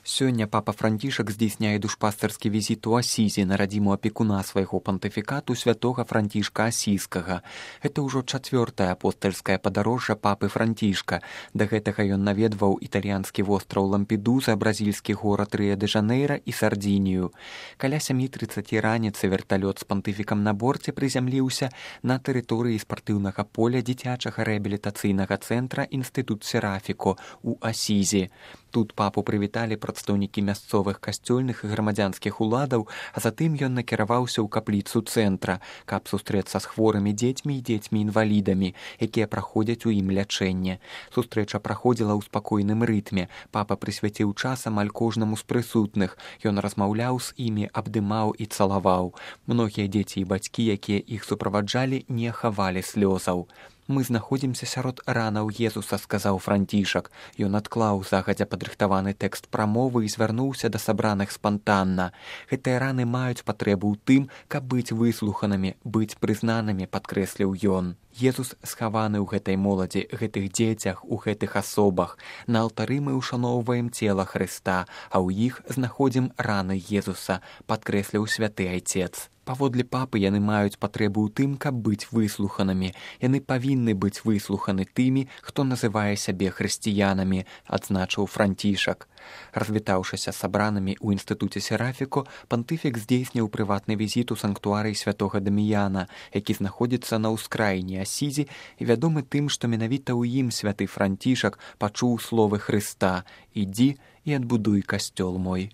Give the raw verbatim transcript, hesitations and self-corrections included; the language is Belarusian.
Сёння папа Францішак здзейсняе душпастарскі візіт у Асізі на радзіму апекуна свайго пантыфікату святога Францішка Асійскага. Гэта ўжо чацвёртае апостальскае падарожжа папы Францішка. Да гэтага ён наведваў італьянскі востраў Лампедуза, бразільскі горад Рыа-дэ-Жанэйра і Сардзінію. Каля сямі трыццаці раніцы верталёт з пантыфікам на борце прызямліўся на тэрыторыі спартыўнага поля дзіцячага рэабілітацыйнага цэнтра «Інстытут Серафіко» у Асізі. Тут папу прывіталі прадстаўнікі мясцовых касцёльных і грамадзянскіх уладаў, а затым ён накіраваўся ў капліцу цэнтра, каб сустрэцца з хворымі дзецьмі і дзецьмі-інвалідамі, якія праходзяць у ім лячэнне. Сустрэча праходзіла ў спакойным рытме. Папа прысвяціў час амаль кожнаму з прысутных. Ён размаўляў з імі, абдымаў і цалаваў. Многія дзеці і бацькі, якія іх суправаджалі, не хавалі слёзаў. «Мы знаходзімся сярод ранаў Езуса», — сказаў Францішак. Ён адклаў загадзя падрыхтаваны тэкст прамовы і звярнуўся да сабраных спантанна. Гэтыя раны маюць патрэбу ў тым, каб быць выслуханымі, быць прызнанымі, падкрэсліў ён. Езус схаваны ў гэтай моладзі, гэтых дзецях, у гэтых асобах. На алтары мы ўшаноўваем цела Хрыста, а ў іх знаходзім раны Езуса, падкрэсліў святы айцец. Паводле папы яны маюць патрэбу ў тым, каб быць выслуханымі. Яны павінны быць выслуханы тымі, хто называе сябе хрысціянамі, адзначыў Францішак. Развітаўшыся з сабранымі ў інстытуце Серафіко, пантыфік здзейсніў прыватны візіт у санктуарый святога Даміяна, які знаходзіцца на ўскраіне Асізі і вядомы тым, што менавіта ў ім святы Францішак пачуў словы Хрыста: «Ідзі і адбудуй касцёл мой».